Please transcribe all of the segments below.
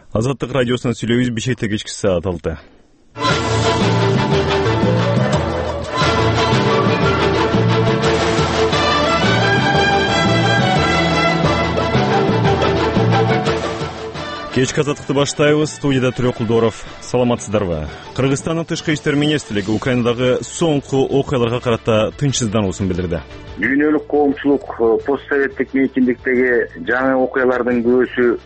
Азаттык радиосунан сүйлөйбүз. Бишкекте кечки саат 6. Кечки азаттыкты баштайбыз. Студияда Түрөкулдоров. Саламатсыздарбы? Кыргызстандын тышкы иштер министрлиги Украинадагы соңку окуяларга карата тынчсыздануусун билдирди. Дүйнөлүк коомчулук постсоветтик мейкиндиктеги жаңы окуялардын күбөсү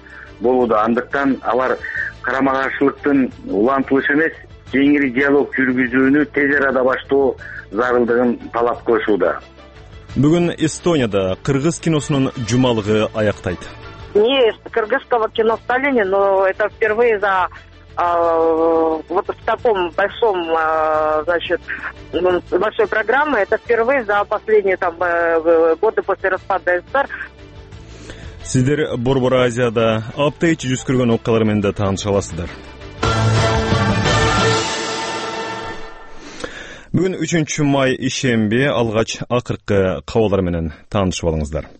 болууда. Андыктан алар карама каршылыктын улантылышы эмес, кеңири диалог жүргүзүүнү тез арада баштоо зарылдыгын талап кылышууда. Бүгүн Эстонияда кыргыз киносунун жумалыгы аяктайт. Не кыргызского кино в Сталине, но это впервые за вот в таком большом, значит, большой программы, это впервые за последние там годы после распада СССР. Сиздер Борбор Азияда апта ичи жүз көргөн окуялар менен да тааныша аласыздар. Бүгүн 3 май ишемби, алгач акыркы кабарлар менен таанышып алыңыздар.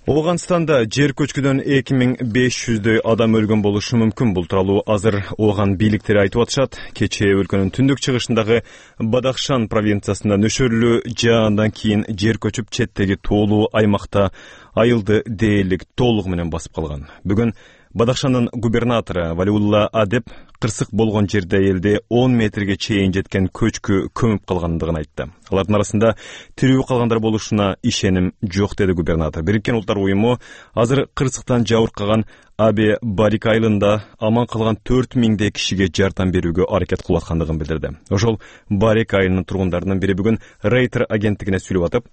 Оганстанда жер көчкүдөн 2500дөй адам өлгөн болушу мүмкүн. Бул тууралуу азыр Оган бийликтери айтып атышат. Кечээ өлкөнүн түндүк чыгышындагы Бадахшан провинциясында нөшөрлүү жаандан кийин жер көчүп четтеги тоолуу аймакта айылды дээрлик толугу менен басып калган. Бүгүн Бадахшандын губернатору Валиулла Адеп кырсык болгон жерде элди 10 метрге чейин жеткен көчкү көмүп калгандыгын айтты. Алардын арасында тирүү калгандар болушуна ишеним жок, деди губернатор. Бириккен Улуттар уюму азыр кырсыктан жабыркаган Абе Барик айылында аман калган 4000 кишиге жардам берүүгө аракет кылып аткандыгын билдирди. Ошол Барик айылынын тургундарынын бири бүгүн Рейтер агенттигине сүйлөп атып,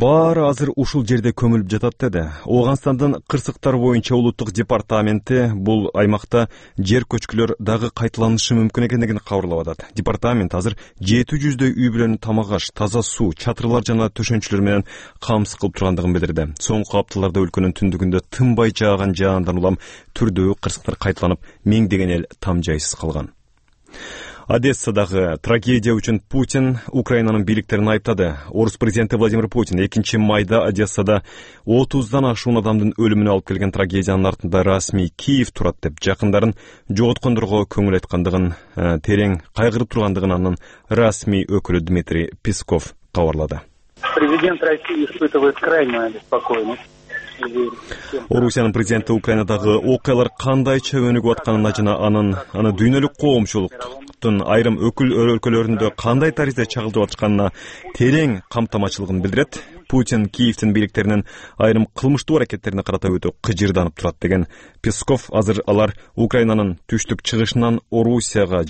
баары азыр ушул жерде көмүлүп жатат, деди. Оганстандын кырсыктар боюнча улуттук департаменти бул аймакта жер көчкүлөр дагы кайталанышы мүмкүн экендигин кабарлап атат. Департамент азыр 700дөй үй бүлөнү тамак аш, таза суу, чатырлар жана төшөнчүлөр менен камсыз кылып тургандыгын билдирди. Соңку апталарда өлкөнүн түндүгүндө тынбай жааган жаандан улам түрдүү кырсыктар кайталанып, миңдеген эл там жайсыз калган. Одессадагы трагедия үчүн Путин Украинанын бийликтерин айыптады. Орус президенти Владимир Путин 2 майда Одессада 30дан ашуун адамдын өлүмүнө алып келген трагедиянын артында расмий Киев турат деп жакындарын жоготкондорго көңүл айткандыгын, терең кайгырып тургандыгын анын расмий өкүлү Дмитрий Песков кабарлады. Президент России испытывает крайнюю беспокойность. Орусиянын президенти Украинадагы окуялар кандайча өнүгүп атканына жана аны дүйнөлүк коомчулуктун айрым өлкөлөрүндө кандай таризде чагылдырып атканына терең камтамачылыгын билдирет. Путин Киевтин бийликтеринин айрым кылмыштуу аракеттерине карата өтө кыжырданып турат, деген Песков. Азыр алар Украинанын түштүк чыгышынан Орусияны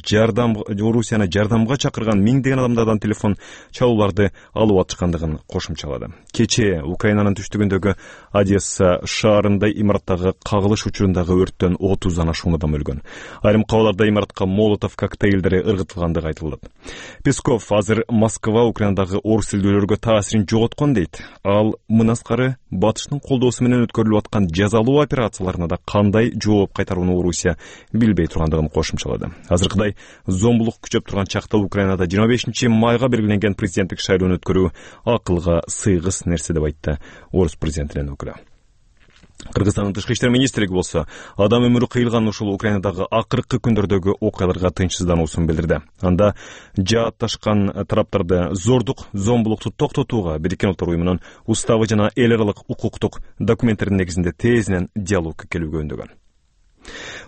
жардамга чакырган миңдеген адамдардан телефон чалууларды алып атышкандыгын кошумчалады. Кечээ Украинанын түштүгүндөгү Одесса шаарында имараттагы кагылыш учурундагы өрттөн 30дан ашуун адам өлгөн. Айрым кабарларда имаратка молотов коктейлдери ыргытылгандыгы айтылды. Песков азыр Москва Украинадагы орус тилдүүлөргө таасирин жоготкон дейт. Ал мынаскары батыштын колдоосу менен өткөрүлүп аткан жазалуу операцияларына да кандай жооп кайтарууну Орусия билбей тургандыгын кошумчалады. Азыркыдай зомбулук күчөп турган чакта Украинада 25 майга белгиленген президенттик шайлоону өткөрүү акылга сыйгыс нерсе деп айтты орус президентинин өкүлү. Кыргызстандын тышкы иштер министрлиги болсо адам өмүрү кыйылган ушул Украинадагы акыркы күндөрдөгү окуяларга тынчсыздануусун билдирди. Анда жаатташкан тараптарды зомбулукту токтотууга Бириккен Улуттар уюмунун уставы жана эл аралык укуктук документтердин негизинде тезинен диалогко келүүгө үндөгөн.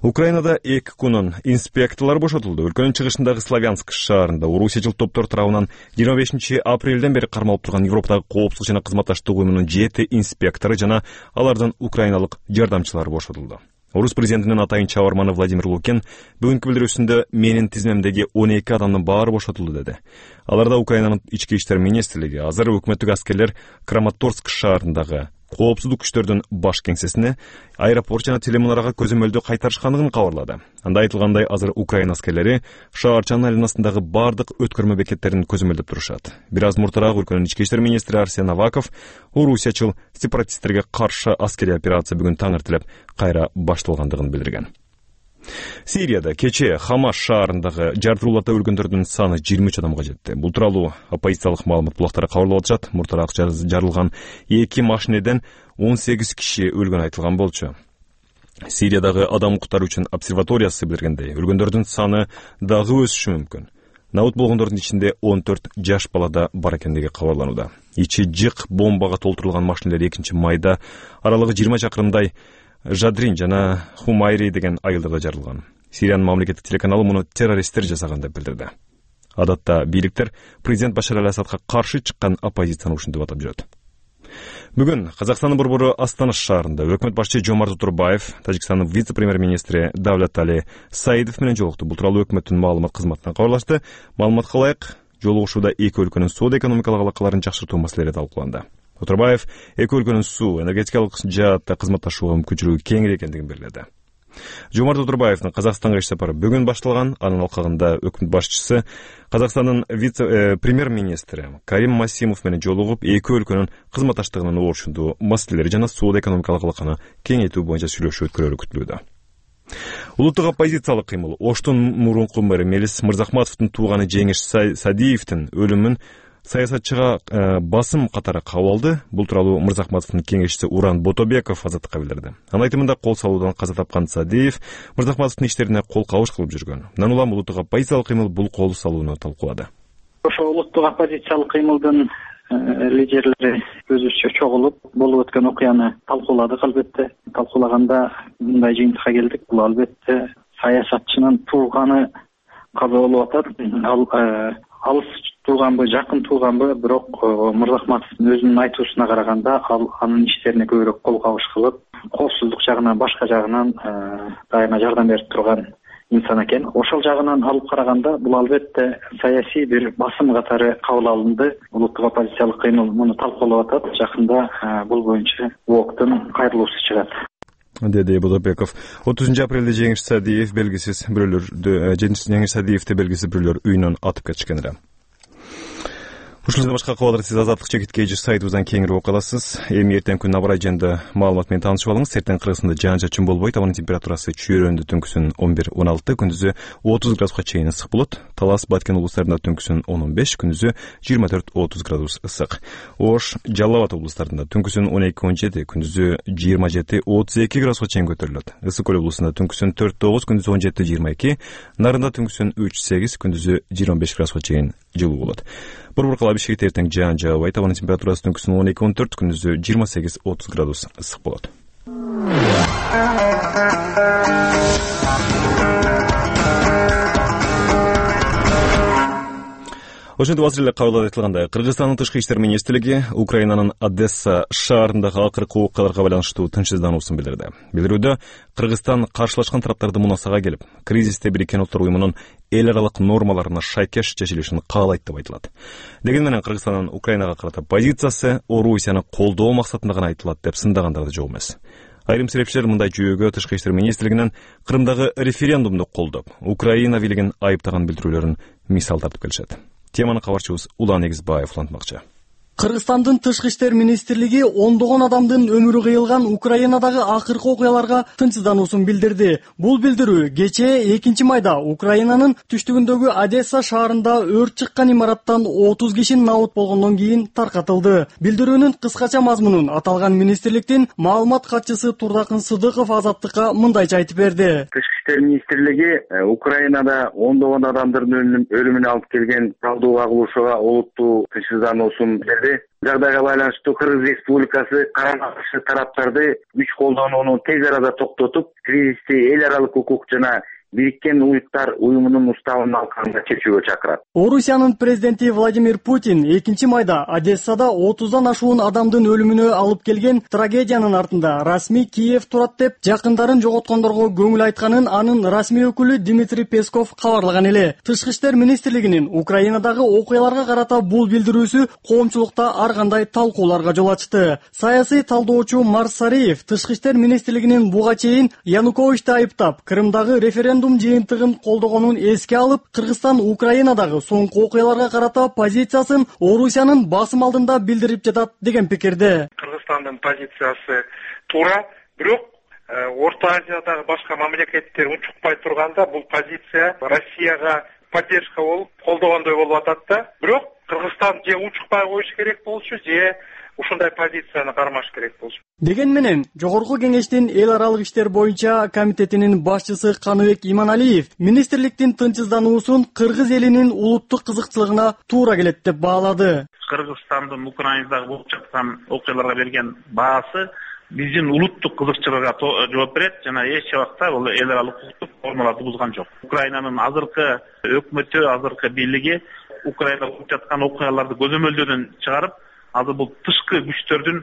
Украинада 2 күнүн инспекторлор бошотулду. Өлкөнүн чыгышындагы Славянск шаарында Орусия жыл топтор тарабынан 25 апрелден бери кармалып турган Европадагы коопсуздук жана кызматташтык уюмунун 7 инспектору жана алардын украиналык жардамчылары бошотулду. Орус президентинин атайын чабарманы Владимир Лукин бүгүнкү билдирүүсүндө менин тизмемдеги 12 адамдын баары бошотулду, деди. Аларда Украинанын ички иштер министрлиги азыр өкмөттүк аскерлер Краматорск шаарындагы коопсуздук күчтөрдүн баш кеңсесине аэропорт жана телемунарага көзөмөлдү кайтарышкандыгын кабарлады. Анда айтылгандай, азыр Украина аскерлери шаарчанын айланасындагы бардык өткөрмө бекеттерин көзөмөлдөп турушат. Бир аз муртараак өлкөнүн ички иштер министри Арсен Аваков орусиячыл сепаратисттерге каршы аскерий операция бүгүн таң эртелеп кайра башталгандыгын билдирген. Сирияда кечээ Хамаш шаарындагы жартырууларда өлгөндөрдүн саны 23 адамга жетти. Бул тууралуу оппозициялык маалымат булактары кабарлап атышат. Муртараак жарылган 2 машинеден 18 киши өлгөнү айтылган болчу. Сириядагы адам укуктары үчүн обсерваториясы билдиргендей, өлгөндөрдүн саны дагы өсүшү мүмкүн. Набыт болгондордун ичинде 14 жаш бала да бар экендиги кабарланууда. Ичи жык бомбага толтурулган машинелер 2-майда аралыгы 20 чакырымдай Жадрин жана Хумайри деген айылдарда жарылган. Сириянын мамлекеттик телеканалы муну террористтер жасаган деп билдирди. Адатта бийликтер президент Башар аль-Асадка каршы чыккан оппозицияны ушинтип атап жүрөт. Бүгүн Казакстандын борбору Астана шаарында өкмөт башчы Жомарт Отурбаев Тажикстандын вице-премьер-министри Давлат Али Саидов менен жолукту. Бул тууралуу өкмөттүн маалымат кызматынан кабарлашты. Маалыматка ылайык, жолугушууда эки өлкөнүн соода-экономикалык алакаларын жакшыртуу маселелери талкууланды. Отурбаев эки өлкөнүн суу, энергетикалык жаатта кызматташууга мүмкүнчүлүгү кеңири экендигин белгиледи. Жомарт Отурбаевдин Казакстанга иш сапары бүгүн башталган. Анын алкагында өкмөт башчысы Казакстандын вице-премьер-министри Карим Масимов менен жолугуп, эки өлкөнүн кызматташтыгынын ошондуу маселелери жана соода-экономикалык алаканы кеңейтүү боюнча сүйлөшүү өткөрүүрү күтүлүүдө. Улуттук оппозициялык кыймыл Оштун мурунку мэрі Мелис Мырзахматовдун тууганы Жеңиш Садиевдин өлүмүн саясатчыга басым катары кабыл алды. Бул тууралуу Мырзахматовдун кеңешчиси Уран Ботобеков Азаттыкка билдирди. Анын айтымында кол салуудан каза тапкан Садиев Мырзахматовдун иштерине кол кабыш кылып жүргөн. Андан улам улуттук оппозициялык кыймыл бул кол салууну талкуулады. Ошо улуттук оппозициялык кыймылдын лидерлери өзүбүзчө чогулуп болуп өткөн окуяны талкууладык. Албетте талкуулаганда мындай жыйынтыкка келдик. Бул албетте саясатчынын тууганы каза болуп атат. Алыс тууганбы, жакын тууганбы, бирок Мырзахматовдун өзүнүн айтуусуна караганда анын иштерине көбүрөөк кол кабыш кылып, коопсуздук жагынан, башка жагынан дайыма жардам берип турган инсан экен. Ошол жагынан алып караганда бул албетте саясий бир басым катары кабыл алынды. Улуттук оппозициялык кыймыл муну талкуулап атат. Жакында бул боюнча УОКтун кайрылуусу чыгат, деди Бодобеков. 30 апрелде Жеңиш Садиевди белгисиз бирөөлөр үйүнөн атып кетишкен эле. Ушул башка кабарлар сиз Азаттык чекиткей сайтыбыздан кеңири окуя аласыз. Эми эртең күн абрай жөнүндө маалымат менен таанышып алыңыз. Эртең Кыргызстанда жаан-чачын болбойт. Абанын температурасы чүйрөндө түнкүсүн 11-16, күндүзү 30 градуска чейин ысык болот. Талас, Баткен облустарында түнкүсүн 10-15, күндүзү 24-30 градус ысык. Ош, Жалал Абад облустарында түнкүсүн 12-17, күндүзү 27-32 градуска чейин көтөрүлөт. Ысык Көл облусунда түнкүсүн 4-9, күндүзү 17-22, Нарында түнкүсүн 3-8, күндүзү 25 градуска чейин жылуу болот. Борборкала Бишкекте эртең жаан жаабайт. Абанын температурасы түнкүсүн 12-14, күндүзү 28-30 градус ысык болот. Ошентип азыр эле кабыл айтылгандай, Кыргызстандын тышкы иштер министрлиги Украинанын Одесса шаарындагы акыркы окуяларга байланыштуу тынчсыздануусун билдирди. Билдирүүдө Кыргызстан каршылашкан тараптарды мунасага келип, кризисте Бириккен Улуттар уюмунун эл аралык нормаларына шайкеш чечилишин каалайт деп айтылат. Дегени менен Кыргызстандын Украинага карата позициясы Орусияны колдоо максатында гана айтылат деп сындагандар да жок эмес. Айрым серепчилер мындай жүйөгө тышкы иштер министрлигинин Крымдагы референдумду колдоп, Украина бийлигин айыптаган билдирүүлөрүн мисал тартып келишет. Теманы кабарчыбыз Улан Эгизбаев улантмакчы. Кыргызстандын тышкы иштер министрлиги ондогон адамдын өмүрү кыйылган Украинадагы акыркы окуяларга тынчсыздануусун билдирди. Бул билдирүү кечээ 2-майда Украинанын түштүгүндөгү Одесса шаарында өрт чыккан имараттан 30 киши набыт болгондон кийин таркатылды. Билдирүүнүн кыскача мазмунун аталган министрликтин маалымат катчысы Турдакын Сыдыков Азаттыкка мындайча айтып берди. Тышкы иштер министрлиги Украинада ондогон адамдардын өлүмүнө алып келген талдууга кылуушуга олуттуу тынчсыздануусун берди. Жагдайга байланыштуу Кыргыз Республикасы карама каршы тараптарды күч колдонууну тез арада токтотуп, кризисти эл аралык укук жана Бириккен Улуттар уюмунун уставынын алкагында чечүүгө чакырат. Орусиянын президенти Владимир Путин 2-майда Одессада 30дан ашуун адамдын өлүмүнө алып келген трагедиянын артында расмий Киев турат деп жакындарын жоготкондорго көңүл айтканын анын расмий өкүлү Дмитрий Песков кабарлаган эле. Тышкы иштер министрлигинин Украинадагы окуяларга карата бул билдирүүсү коомчулукта ар кандай талкууларга жол ачты. Саясий талдоочу Марс Сариев тышкы иштер министрлигинин буга чейин Януковичти айыптап, Крымдагы референдум жыйынтыгын колдогонун эске алып, Кыргызстан Украинадагы соңку окуяларга карата позициясын Орусиянын басым алдында билдирип жатат деген пикирде. Кыргызстандын позициясы туура, бирок Орто Азиядагы башка мамлекеттер унчукпай турганда бул позиция Россияга поддержка болуп колдогондой болуп атат да. Бирок Кыргызстан же унчукпай коюш керек болчу, же ушундай позицияны кармаш керек болчу. Деген менен Жогорку Кеңештин эл аралык иштер боюнча комитетинин башчысы Каныбек Иманалиев министрликтин тынчсыздануусун кыргыз элинин улуттук кызыкчылыгына туура келет деп баалады. Кыргызстандын Украинадагы болуп жаткан окуяларга берген баасы биздин улуттук кызыкчылыгга жооп берет жана эч убакта бул эл аралык укуктук нормаларды бузган жок. Украинанын азыркы өкмөтү, азыркы бийлиги Украинада болуп жаткан окуяларды көзөмөлдөөдөн чыгарып, азыр бул тышкы күчтөрдүн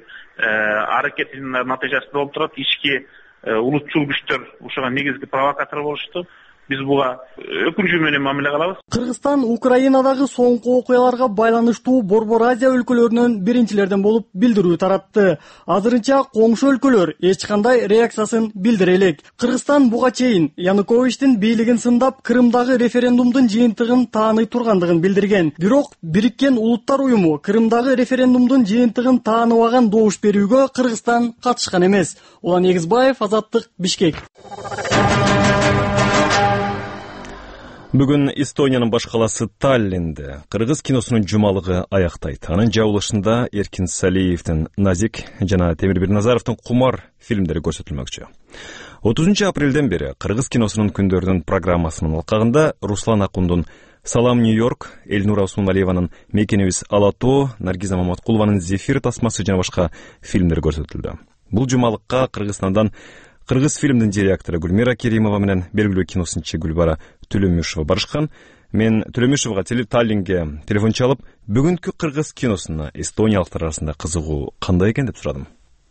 аракетинин натыйжасында болуп турат. Ички улутчул күчтөр ушуга негизги провокатор болушту. Биз буга өкүнүчү менен мамиле кылабыз. Кыргызстан Украинадагы соңку окуяларга байланыштуу Борбор Азия өлкөлөрүнөн биринчилерден болуп билдирүү таратты. Азырынча коңшу өлкөлөр эч кандай реакциясын билдире элек. Кыргызстан буга чейин Януковичтин бийлигин сындап, Крымдагы референдумдун жыйынтыгын тааный тургандыгын билдирген. Бирок Бириккен Улуттар уюму Крымдагы референдумдун жыйынтыгын тааныбаган добуш берүүгө Кыргызстан катышкан эмес. Улан Эгизбаев, Азаттык, Бишкек. Бүгүн Эстониянын баш каласы Таллинде кыргыз киносунун жумалыгы аяктайт. Анын жабылышында Эркин Салиевдин Назик жана Темир Бирназаровдун Кумар фильмдери көрсөтүлмөкчү. 30 апрелден бери кыргыз киносунун күндөрүнүн программасынын алкагында Руслан Акундун Салам Нью-Йорк, Эльнура Усманалиеванын Мекенибиз Алатоо, Наргиза Маматкулованын Зефир тасмасы жана башка фильмдер көрсөтүлдү. Бул жумалыкка Кыргызстандан кыргыз фильмдин директору Гүлмира Керимова менен белгилүү киносунчу Гүлбара Төлөмүшева барышкан. Мен Төлөмүшевага Таллинге телефон чалып, бүгүнкү кыргыз киносуна эстониялыктар арасында кызыгуу кандай экен деп сурадым.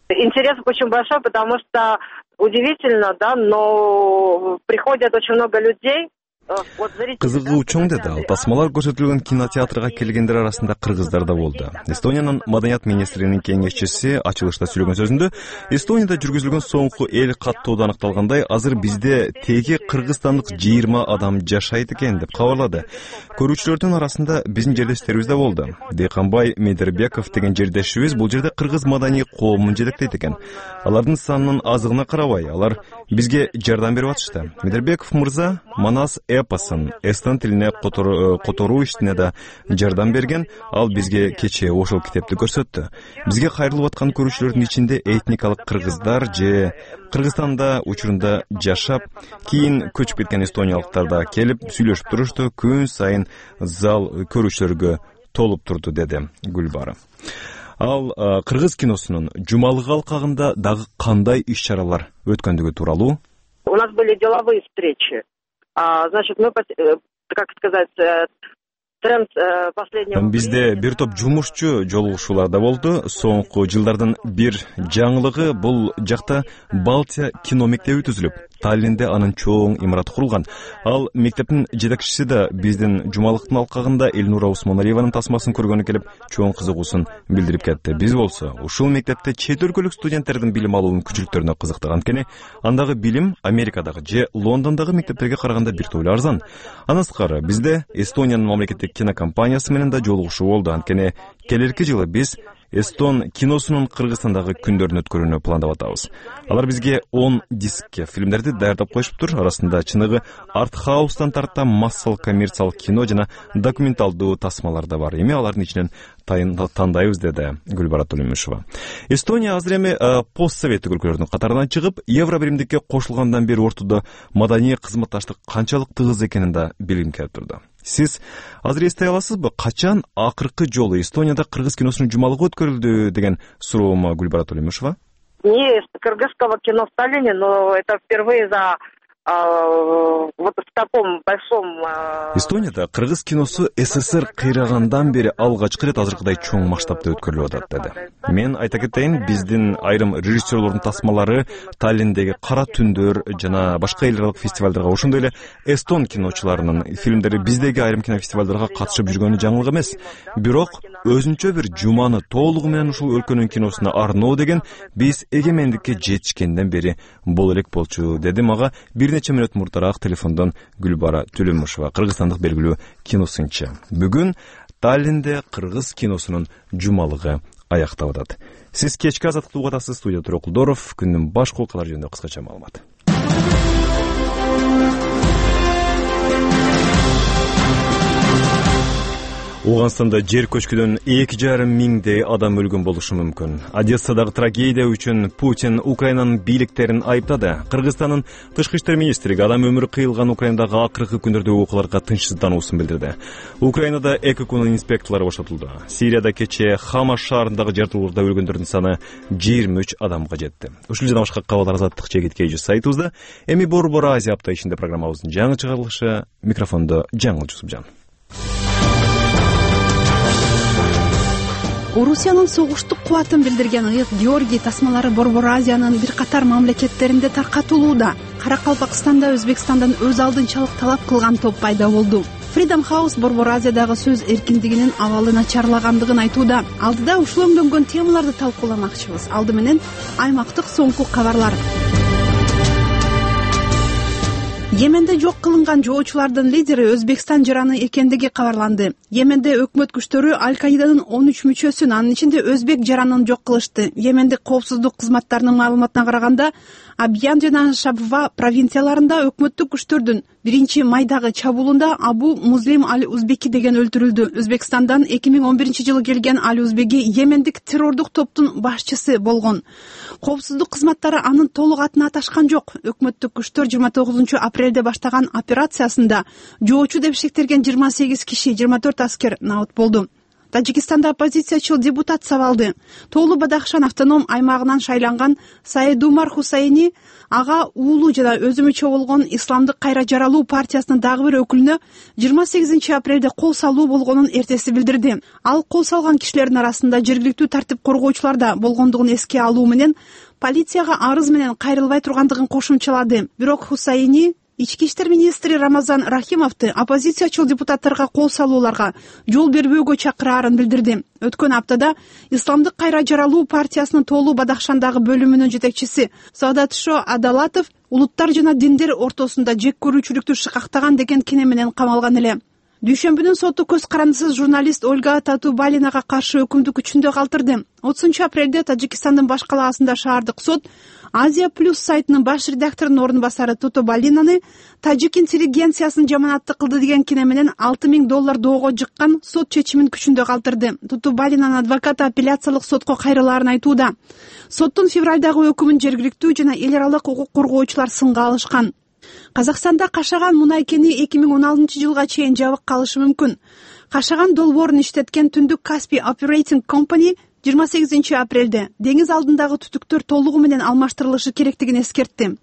Интерес очень большой, потому что удивительно, да, но приходят очень много людей. Кызыгуу чоң деди ал. Тасмалар көрсөтүлгөн кинотеатрга келгендер арасында кыргыздар да болду. Эстониянын маданият министринин кеңешчиси ачылышта сүйлөгөн сөзүндө Эстонияда жүргүзүлгөн соңку эл каттоодо аныкталгандай, азыр бизде теги кыргызстандык 20 адам жашайт экен деп кабарлады. Көрүүчүлөрдүн арасында биздин жердештерибиз да болду. Дейканбай Медербеков деген жердешибиз бул жерде кыргыз маданий коомун жетектейт экен. Алардын санынын азыгына карабай, алар бизге жардам берип атышты. Медербеков мырза Манас эпосын эстон тилине которуу иштине да жардам берген. Ал бизге кечээ ошол китепти көрсөттү. Бизге кайрылып аткан көрүүчүлөрдүн ичинде этникалык кыргыздар же Кыргызстанда учурунда жашап, кийин көчүп кеткен эстониялыктар да келип сүйлөшүп турушту. Күн сайын зал көрүүчүлөргө толуп турду, деди Гүлбара. Ал кыргыз киносунун жумалыгы алкагында дагы кандай иш-чаралар өткөндүгү тууралуу. У нас были деловые встречи. Значит, мы, как сказать, тренд последнего... Бизде бир топ жумушчу жолугушуулар да болду. Соңку жылдардын бир жаңылыгы бул жакта Балтия кино мектеби түзүлүп, Таллинде анын чоң имараты курулган. Ал мектептин жетекчиси да биздин жумалыктын алкагында Эльнура Усманалиеванын тасмасын көргөнү келип, чоң кызыгуусун билдирип кетти. Биз болсо ушул мектепте чет өлкөлүк студенттердин билим алуунун күчүлүктөрүнө кызыктык. Анткени андагы билим Америкадагы же Лондондогу мектептерге караганда бир тойло арзан. Андан сырткары бизде Эстониянын мамлекеттик кинокомпаниясы менен да жолугушуу болду. Анткени келерки жылы биз эстон киносунун Кыргызстандагы күндөрүн өткөрүүнү пландап атабыз. Алар бизге 10 дискке фильмдерди даярдап коюшуптур. Арасында чыныгы арт-хаустан тарта массалык коммерциялык кино жана документалдуу тасмалар да бар. Эми алардын ичинен тандайбыз, деди Гүлбара Төлөмүшева. Эстония азыр эми постсоветтик өлкөлөрдүн катарынан чыгып, Евробиримдикке кошулгандан бери ортодо маданий кызматташтык канчалык тыгыз экенин да билгим келип турду. Сиз азыр эстей аласызбы, качан акыркы жолу Эстонияда кыргыз киносунун жумалыгы өткөрүлдү деген суроома Гүлбара Төлөмүшева? Не кыргызского кино в Таллине, но это впервые за вот в таком большом... Эстонияда кыргыз киносу СССР кыйрагандан бери алгачкы рет азыркыдай чоң масштабта өткөрүлүп атат, деди. Мен айта кетейин, биздин айрым режиссерлордун тасмалары Таллиндеги Кара түндөр жана башка эл аралык фестивалдарга, ошондой эле эстон киночуларынын фильмдери биздеги айрым кинофестивалдарга катышып жүргөнү жаңылык эмес. Бирок өзүнчө бир жуманы толугу менен ушул өлкөнүн киносуна арноо деген биз эгемендикке жетишкенден бери боло элек болчу, деди мага бир нече мүнөт мурдараак телефондон Гүлбара Төлөмүшева, кыргызстандык белгилүү киносунчу. Бүгүн Таллинде кыргыз киносунун жумалыгы аяктап атат. Сиз кечки азаттыкты угуп атасыз. Студияда Турокулдоров. Күндүн башкы окуялары жөнүндө кыскача маалымат. Ооганстанда жер көчкүдөн 2,5 миңдей адам өлгөн болушу мүмкүн. Одессадагы трагедия үчүн Путин Украинанын бийликтерин айыптады. Кыргызстандын тышкы иштер министрлиги адам өмүрү кыйылган Украинадагы акыркы күндөрдөгү окуяларга тынчсыздануусун билдирди. Украинада 2 күн инспекторлор бошотулду. Сирияда кечээ Хама шаарындагы жартылуурда өлгөндөрдүн саны 23 адамга жетти. Ушул жана башка кабарлар азаттык жегиткейжи сайтыбызда. Эми Борбор Азия апта ичинде программабыздын жаңы чыгарылышы. Микрофондо Жаңыл Жусупжан. Орусиянын согуштук кубатын билдирген ыйык Георгий тасмалары Борбор Азиянын бир катар мамлекеттеринде таркатылууда. Каракалпакстанда Өзбекстандан өз алдынчалык талап кылган топ пайда болду. Freedom House Борбор Азиядагы сөз эркиндигинин абалы начарлагандыгын айтууда. Алдыда ушул өңдөнгөн темаларды талкууламакчыбыз. Алды менен аймактык соңку кабарлар. Йеменде жок кылынган жоочулардын лидери Өзбекстан жараны экендиги кабарланды. Йеменде өкмөт күчтөрү Аль-Каиданын 13 мүчөсүн, анын ичинде өзбек жаранын жок кылышты. Йемендик коопсуздук кызматтарынын маалыматына караганда, Абьян жана Шабва провинцияларында өкмөттүк күчтөрдүн 1-майдагы чабуулунда Абу Музлим Аль-Узбеки деген өлтүрүлдү. Өзбекстандан 2011-жылы келген Аль-Узбеки йемендик террордук топтун башчысы болгон. Коопсуздук кызматтары анын толук атын аташкан жок. Өкмөттүк күчтөр 29-апрелде баштаган операциясында жоочу деп шектелген 28 киши, 24 аскер набыт болду. Тажикстанда оппозициячыл депутат сабалды. Тоолу Бадахшан автоном аймагынан шайланган Саидумар Хусайни ага уулу жана өзү мүчө болгон Исламдык кайра жаралуу партиясынын дагы бир өкүлүнө 28-апрелде кол салуу болгонун эртеси билдирди. Ал кол салган кишилердин арасында жергиликтүү тартип коргоочулар да болгондугун эске алуу менен полицияга арыз менен кайрылбай тургандыгын кошумчалады. Бирок Хусайни Ички иштер министри Рамазан Рахимовду оппозициячыл депутаттарга кол салууларга жол бербөөгө чакыраарын билдирди. Өткөн аптада Исламдык кайра жаралуу партиясынын Тоолу Бадахшандагы бөлүмүнүн жетекчиси Саадатшо Адалатов улуттар жана диндер ортосунда жек көрүүчүлүктү шыкактаган деген кине менен камалган эле. Дүйшөмбүнүн соту көз карандысыз журналист Ольга Татубалинага каршы өкүмдү күчүндө калтырды. 30-апрелде Тажикстандын баш калаасында шаардык сот Азия Плюс сайтынын баш редакторунун орун басары Татубалинаны тажик интеллигенциясын жаманатты кылды деген кине менен $6,000 доого жыккан сот чечимин күчүндө калтырды. Татубалинанын адвокаты апелляциялык сотко кайрылаарын айтууда. Соттун февралдагы өкүмүн жергиликтүү жана эл аралык укук коргоочулар сынга алышкан. Казакстанда Кашаган мунай кени 2016-жылга чейин жабык калышы мүмкүн. Кашаган долбоорун иштеткен Түндүк Каспий Operating Company 28-апрелде деңиз алдындагы түтүктөр толугу менен алмаштырылышы керектигин эскертти.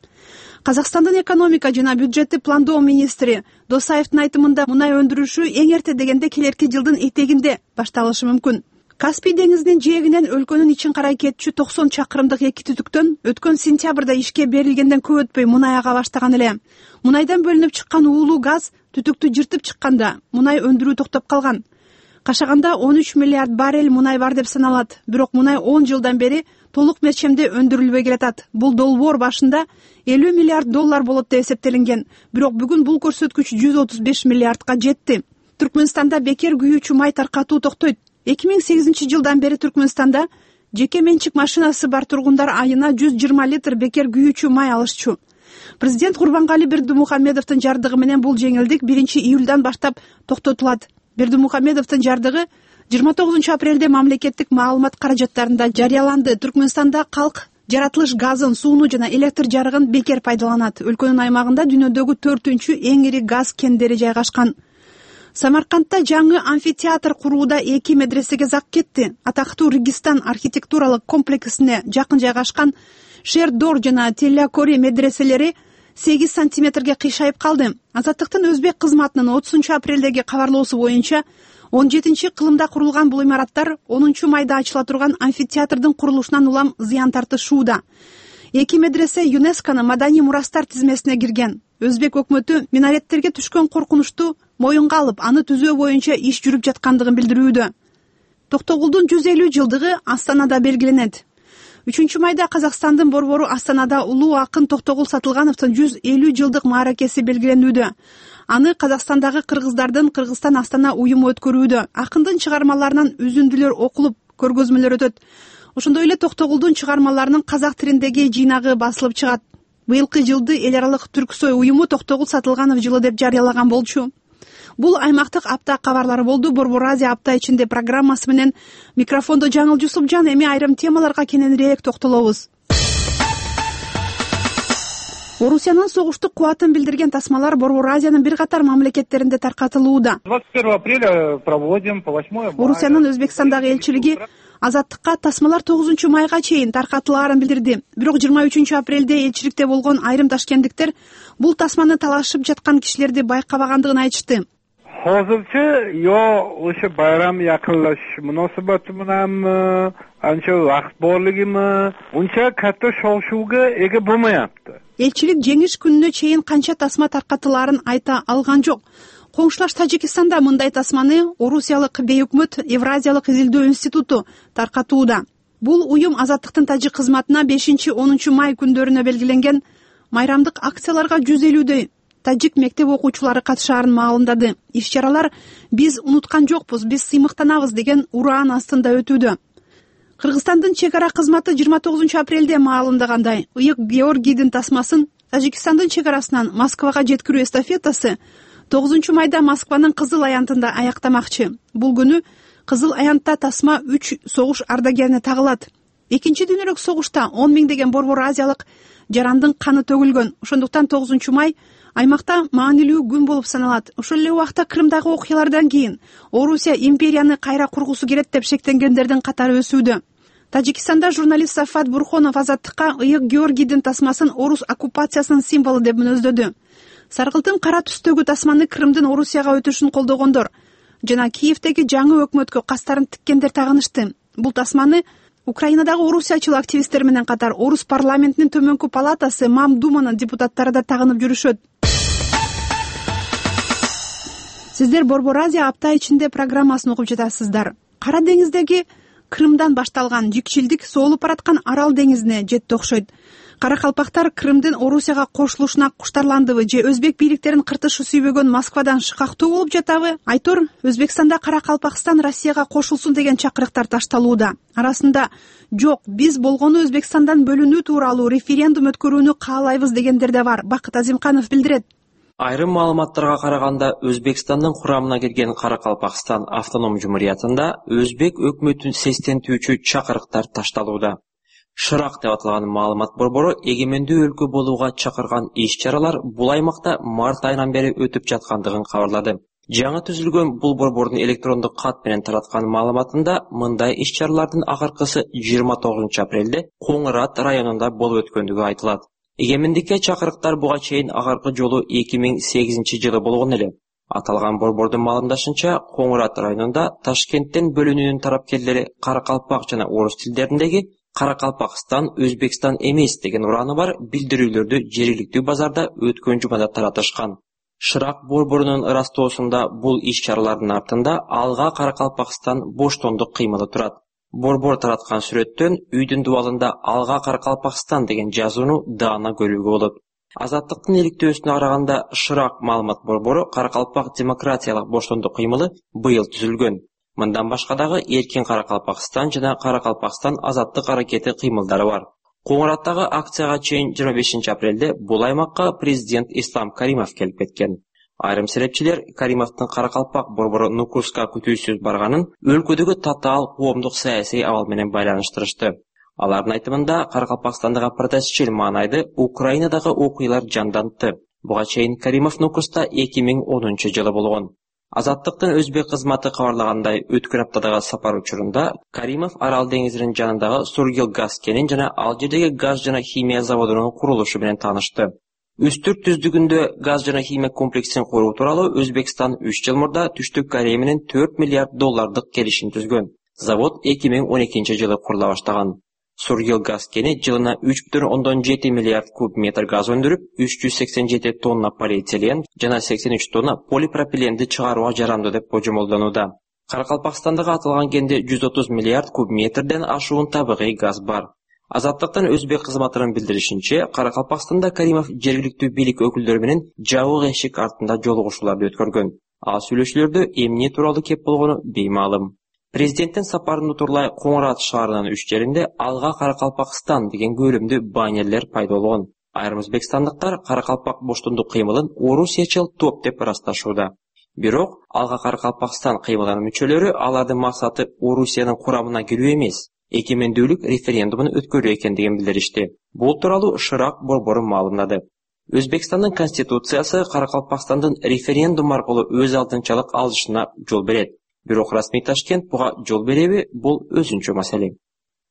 Казакстандын экономика жана бюджеттик пландоо министри Досаевдин айтымында мунай өндүрүшү эң эрте дегенде келерки жылдын этегинде башталышы мүмкүн. Каспий деңизинин жээгинен өлкөнүн ичин карай кетчү 90 чакырымдык эки түтүктөн өткөн сентябрда ишке берилгенден көп өтпөй мунай ага баштаган эле. Мунайдан бөлүнүп чыккан уулуу газ түтүктү жыртып чыкканда мунай өндүрүү токтоп калган. Кашаганда 13 миллиард баррель мунай бар деп саналат. Бирок мунай 10 жылдан бери толук мерчемде өндүрүлбөй келатат. Бул долбоор башында $50 миллиард болот деп эсептелинген. Бирок бүгүн бул көрсөткүч 135 миллиардга жетти. Түркмөнстанда бекер күйүүчү май таркатуу токтойт. 2008-жылдан бери Түркмөнстанда жеке менчик машинасы бар тургундар айына 120 литр бекер күйүүчү май алышчу. Президент Курбангали Бердимухамедовдун жардыгы менен бул жеңилдик 1-июлдан баштап токтотулат. Бердимухамедовдун жардыгы 29-апрелде мамлекеттик маалымат каражаттарында жарыяланды. Түркмөнстанда калк жаратылыш газын, сууну жана электр жарыгын бекер пайдаланат. Өлкөнүн аймагында дүйнөдөгү 4-үнчү эң ири газ кендери жайгашкан. Самаркандта жаңы амфитеатр курууда 2 медресеге зак кетти. Атактуу Регистан архитектуралык комплексине жакын жайгашкан Шердор жана Теллякори медреселери 8 сантиметрге кыйшайып калды. Азаттыктын өзбек кызматынын 30-апрелдеги кабарлоосу боюнча 17-кылымда курулган бул имараттар 10-майда ачыла турган амфитеатрдын курулушунан улам зыян тартышууда. 2 медресе ЮНЕСКОнун маданий мурастар тизмесине кирген. Өзбек өкмөтү минареттерге түшкөн коркунучту моюнга алып, аны түзөө боюнча иш жүрүп жаткандыгын билдирүүдө. Токтогулдун 150 жылдыгы Астанада белгиленет. 3-майда Казакстандын борбору Астанада улуу акын Токтогул Сатылгановдун 150 жылдык мааракеси белгиленүүдө. Аны Казакстандагы кыргыздардын Кыргызстан Астана уюму өткөрүүдө. Акындын чыгармаларынан үзүндүлөр окулуп, көргөзмөлөр өтөт. Ошондой эле Токтогулдун чыгармаларынын казак тилиндеги жыйнагы басылып чыгат. Быйылкы жылды эл аралык Түрксой уюму Токтогул Сатылганов жылы деп жарыялаган болчу. Бул аймактык апта кабарлары болду. Борбор Азия апта ичинде программасы менен микрофондо Жаңыл Жусупжан. Эми айрым темаларга кененирээк токтолобуз. Орусиянын согуштук кубатын билдирген тасмалар Борбор Азиянын бир катар мамлекеттеринде таркатылууда. 21 апреля проводим по 8 мая. Орусиянын Өзбекстандагы элчилиги азаттыкка тасмалар 9 майга чейин таркатылаарын билдирди. Бирок 23 апрелде элчиликте болгон айрым ташкенттиктер бул тасманы талашып жаткан кишилерди байкабагандыгын айтышты. Hozircha yo o'sha bayram yaqinlashish munosabati bilanmi, ancha vaqt borligimi, uncha katta shov-shuvga ega bo'lmayapti. Элчилик жеңиш күнүнө чейин канча тасма таркатылаарын айта алган жок. Коңшулаш Тажикистанда мындай тасманы Орусиялык бейөкмөт Евразиялык изилдөө институту таркатууда. Бул уюм азаттыктын тажик кызматына 5-10 май күндөрүнө белгиленген майрамдык акцияларга 150 тажик мектеп окуучулары катышаарын маалымдады. Иш-чаралар «Биз унуткан жокпуз, биз сыймыктанабыз» деген ураан астында өтүүдө. Кыргызстандын чек ара кызматы 29 апрелде маалымдагандай, Ыйык Георгийдин тасмасын Тажикстандын чек арасынан Москвага жеткирүү эстафетасы 9 майда Москванын Кызыл аянтында аяктамакчы. Бул күнү Кызыл аянтта тасма 3 согуш ардагерине тагылат. Экинчи дүйнөлүк согушта 10 миңдеген борбор азиялык жарандын каны төгүлгөн. Ошондуктан 9 май аймакта маанилүү күн болуп саналат. Ошол эле убакта Крымдагы окуялардан кийин Орусия империяны кайра кургусу келет деп шектенгендердин катары өсүүдө. Тажикстанда журналист Сафат Бурхонов азаттыкка Ыйык Георгийдин тасмасын орус оккупациясынын символу деп мүнөздөдү. Саргылтын кара түстөгү тасманы Крымдын Орусияга өтүшүн колдогондор жана Киевдеги жаңы өкмөткө кастарын тиккендер тагынышты. Бул тасманы Украинадагы орусиячыл активисттер менен катар орус парламентинин төмөнкү палатасы Мамдуманын депутаттары да тагынып жүрүшөт. Сиздер Борбор Азия апта ичинде программасын угуп жатасыздар. Кара деңиздеги Крымдан башталган жикчилдик соолуп бараткан Арал деңизине жетти окшойт. Каракалпактар Крымдын Орусияга кошулушуна куштарландыбы же өзбек бийликтерин кыртышы сүйбөгөн Москвадан шыкактуу болуп жатабы? Айтор, Өзбекстанда Каракалпакстан Россияга кошулсун деген чакырыктар ташталууда. Арасында жок, биз болгону Өзбекстандан бөлүнүү тууралуу референдум өткөрүүнү каалайбыз дегендер да бар. Бакыт Азимканов билдирет. Айрым маалыматтарга караганда Өзбекстандын курамына кирген Каракалпакстан автоном жумуриятында өзбек өкмөтүн сестентүүчү чакырыктар ташталууда. Шырак деп аталган маалымат борбору эгемендүү өлкө болууга чакырган иш-чаралар бул аймакта март айынан бери өтүп жаткандыгын кабарлады. Жаңы түзүлгөн бул борбордун электрондук кат менен тараткан маалыматында мындай иш-чаралардын акыркысы 29 апрелде Коңыр Ат районунда болуп өткөндүгү айтылат. Эгемендикке чакырыктар буга чейин акыркы жолу 2008 жылы болгон эле. Аталган борбордун маалымдашынча, Коңыр Ат районунда Ташкенттен бөлүнүүнүн тарапкерлери каракалпак жана орус тилдериндеги Каракалпакстан Өзбекстан эмес деген ураны бар билдирүүлөрдү жергиликтүү базарда өткөн жумада таратышкан. Шырак борборунун ырастоосунда бул иш-чаралардын артында алга Каракалпакстан боштондук кыймылы турат. Борбор тараткан сүрөттөн үйдүн дубалында алга Каракалпакстан деген жазууну даана көрүүгө болот. Азаттыктын иликтөөсүнө караганда Шырак маалымат борбору Каракалпак демократиялык боштондук кыймылы быйыл түзүлгөн. Мындан башка дагы Эркин Каракалпакстан жана Каракалпакстан азаттык аракети кыймылдары бар. Коңыр Аттагы акцияга чейин 25 апрелде бул аймакка президент Ислам Каримов келип кеткен. Айрым серепчилер Каримовдун Каракалпак борбору Нукуска күтүүсүз барганын өлкөдөгү татаал коомдук саясий абал менен байланыштырышты. Алардын айтымында Каракалпакстандагы протестчил маанайды Украинадагы окуялар жандантты. Буга чейин Каримов Нукуста 2010 жылы болгон. Азаттыктын өзбек кызматы кабарлагандай, өткөн аптадагы сапар учурунда Каримов Арал деңизинин жанындагы Сургил газ кенин жана ал жердеги газ жана химия заводунун курулушу менен таанышты. Үстүрт түздүгүндө газ жана химия комплексин куруу тууралуу Өзбекстан 3 жыл мурда Түштүк Корея менен 4 миллиард доллардык келишим түзгөн. Завод 2012 жылы курула баштаган. Сургил газ кени жылына 3,7 миллиард куб метр газ өндүрүп, 387 тонна полиэтилен жана 83 тонна полипропиленди чыгарууга жарамдуу деп божомолдонууда. Каракалпакстандагы аталган кенде 130 миллиард куб метрден ашуун табигый газ бар. Азаттыктын өзбек кызматынын билдиришинче, Каракалпакстанда Каримов жергиликтүү бийлик өкүлдөрү менен жабык эшик артында жолугушууларды өткөргөн. Ал сүйлөшүүлөрдө эмне тууралуу кеп болгону беймаалым. Президенттин сапарын утурлай Коңор-Ат шаарынын 3 жеринде Алга Каракалпакстан деген көрүмдүү баннерлер пайда болгон. Айрым өзбекстандыктар Каракалпак боштондук кыймылын орусиячыл топ деп ырасташууда. Бирок Алга Каракалпакстан кыймылынын мүчөлөрү алардын максаты Орусиянын курамына кирүү эмес, эгемендүүлүк референдумун өткөрүү экендигин билдиришти. Бул тууралуу Шырак борбору маалымдады. Өзбекстандын конституциясы Каракалпакстандын референдум аркылуу өз алдынчалык алышына жол берет. Бирок расмий Ташкент буга жол береби, бул өзүнчө маселе.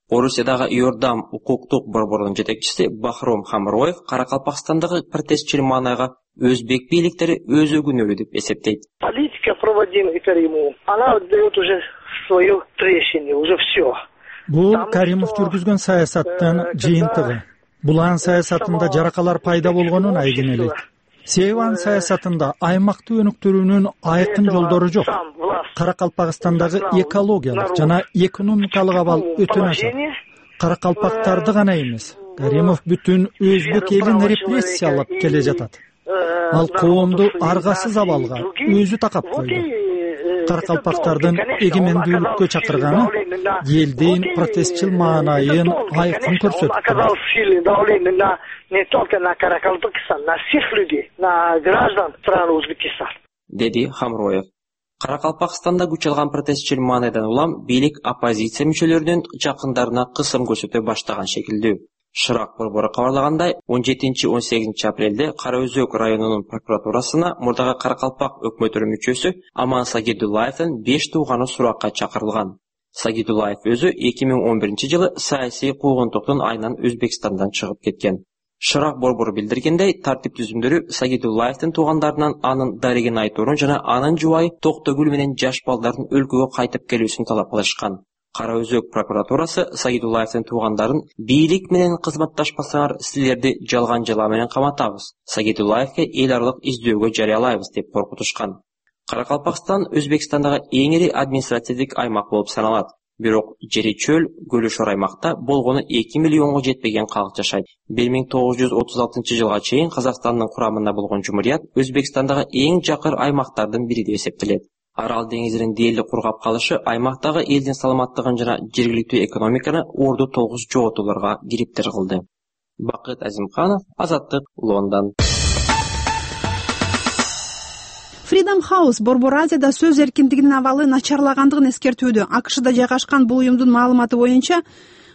Орусиядагы Иордам укуктук борборунун жетекчиси Бахром Хамроев Каракалпакстандагы протестчил маанайга өзбек бийликтери өзү күнөөлүү деп эсептейт. Политика проводимая Каримовым, она дает уже свое трещине, уже все. Бул Каримов жүргүзгөн саясаттын жыйынтыгы. Булан саясатында жаракалар пайда болгонун айгин элейт. Себебан саясатында аймактуу өнүктүрүүнүн айкын жолдору жок. Каракалпакстандагы экологиялык жана экономикалык абал өтө начар. Каракалпактарды гана эмес, Каримов бүтүн өзбек элин репрессиялап келе жатат. Ал коомду аргасыз абалга өзү такап койду. Каракалпактардын эгемендүүлүккө чакырганы элдин протестчил маанайын айкын көрсөттү. Деди Хамроев. Каракалпакстанда күч алган протестчил маанайдан улам бийлик оппозиция мүчөлөрүнүн жакындарына кысым көрсөтө баштаган шекилдүү. Шырак борбору кабарлагандай, 17-18 апрелде Кара Өзөк районунун прокуратурасына мурдагы Каракалпак өкмөтүнүн мүчөсү Аман Сагидуллаевдин 5 тууганы суракка чакырылган. Сагидуллаев өзү 2011 жылы саясий куугунтуктун айынан Өзбекстандан чыгып кеткен. Шырак борбору билдиргендей, тартип түзүмдөрү Сагидуллаевдин туугандарынан анын дарегин айтуурун жана анын жубайы Токтогүл менен жаш балдардын өлкөгө кайтып келүүсүн талап кылышкан. Кара Өзөк прокуратурасы Сагидуллаевдин туугандарын бийлик менен кызматташпасаңар силерди жалган жала менен каматабыз, Сагидуллаевге эл аралык издөөгө жарыялайбыз деп коркутушкан. Каракалпакстан Өзбекстандагы эң ири административдик аймак болуп саналат. Бирок жери чөл, көлүшөр аймакта болгону 2 миллионго жетпеген калк жашайт. 1936 жылга чейин Казакстандын курамында болгон жумурият Өзбекстандагы эң жакыр аймактардын бири деп эсептелет. Арал деңизинин дээрлик кургап калышы аймактагы элдин саламаттыгын жана жергиликтүү экономиканы орду тогуз жоготууларга кириптир кылды. Бакыт Азимканов, Азаттык, Лондон. Freedom House Борбор Азияда сөз эркиндигинин абалы начарлагандыгын эскертүүдө. АКШда жайгашкан бул уюмдун маалыматы боюнча,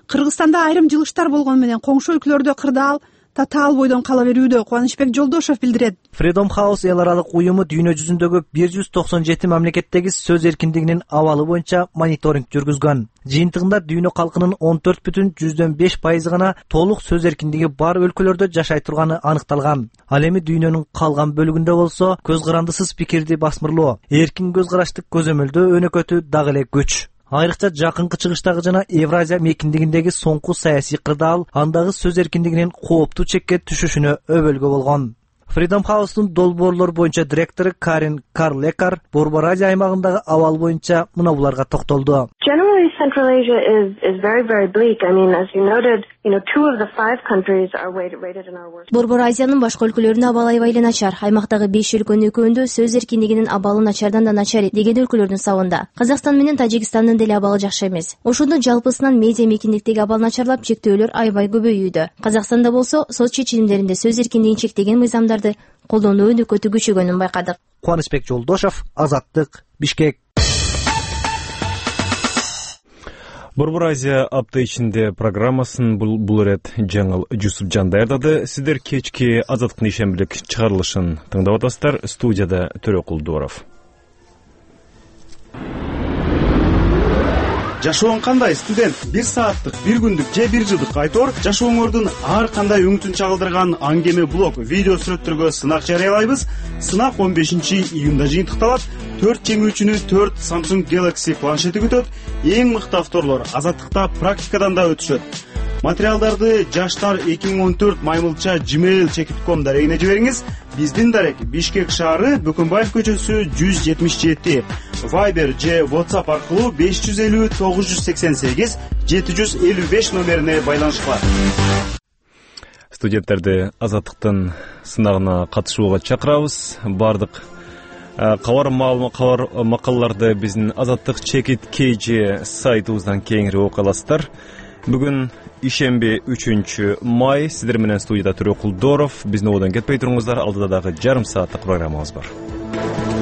Кыргызстанда айрым жылыштар болгону менен коңшу өлкөлөрдө кырдаал, татаал бойдон кала берүүдө, Кубанычбек Жолдошов билдирет. Freedom House эл аралык уюму дүйнө жүзүндөгү 197 мамлекеттеги сөз эркиндигинин абалы боюнча мониторинг жүргүзгөн. Жыйынтыгында дүйнө калкынын 14,5% гана толук сөз эркиндиги бар өлкөлөрдө жашай турганы аныкталган. Ал эми дүйнөнүн калган бөлүгүндө болсо көз карандысыз пикирди басмырлоо, эркин көз караштык көзөмөлдөө өнөкөтү дагы эле күч. Айрыкча жакынкы чыгыштагы жана Евразия мекиндигиндеги соңку саясий кырдаал андагы сөз эркиндигинин кооптуу чекке түшүшүнө өбөлгө болгон. Freedom House'тун долбоорлор боюнча директору Карин Карлекар Борбор Азия аймагындагы абал боюнча мына буларга токтолду. Generally, Central Asia is very, very bleak. I mean, as you noted, 2 of the 5 countries are rated in our worst. Борбор Азиянын башка өлкөлөрүнүн абалы аябай эле начар. Аймактагы 5 өлкөнүн экөөндө сөз эркиндигинин абалы начардан да начар деген өлкөлөрдүн сабында. Казакстан менен Тажикстандын деле абалы жакшы эмес. Ошондо жалпысынан медиа мекиндиктеги абал начарлап, чектөөлөр аябай көбөйүүдө. Казакстанда болсо сот чечимдеринде сөз эркиндигин чектеген мыйзамдарды колдонуу өнөкөтү күчөгөнүн байкадык. Кубанычбек Жолдошов, Азаттык, Бишкек. Борбор Азия апта ичинде программасын бул ирет Жаңыл Жусупжан даярдады. Сиздер кечки Азаттыктын ишембилик чыгарылышын тыңдап атасыздар. Студияда Төрөкул Дууров. Жашооң кандай, студент? 1 сааттык, 1 күндүк же 1 жылдык айтор жашооңордун ар кандай үмүтүн чагылдырган аңгеме блог, видео сүрөттөргө сынак жарыялайбыз. Сынак 15-июнда жыйынтыкталат. 4 жеңүүчүнү 4 Samsung Galaxy планшети күтөт. Эң мыкты авторлор Азаттыкта практикадан да өтүшөт. Материалдарды жаштар 2014 maymulcha@gmail.com дарегине жибериңиз. Биздин дарек Бишкек шаары, Бөкөнбаев көчөсү 177. Viber же WhatsApp аркылуу 550 988 755 номерине байланышкыла. Студенттерди Азаттыктын сынагына катышууга чакырабыз. Бардык кабар макалаларды биздин Азаттык чекит KG сайтыбыздан кеңири окуй аласыздар. Бүгүн ишемби 3-май, сиздер менен студияда Төрөкул Доров. Биздин ободон кетпей туруңуздар, алдыда дагы жарым сааттык программабыз бар.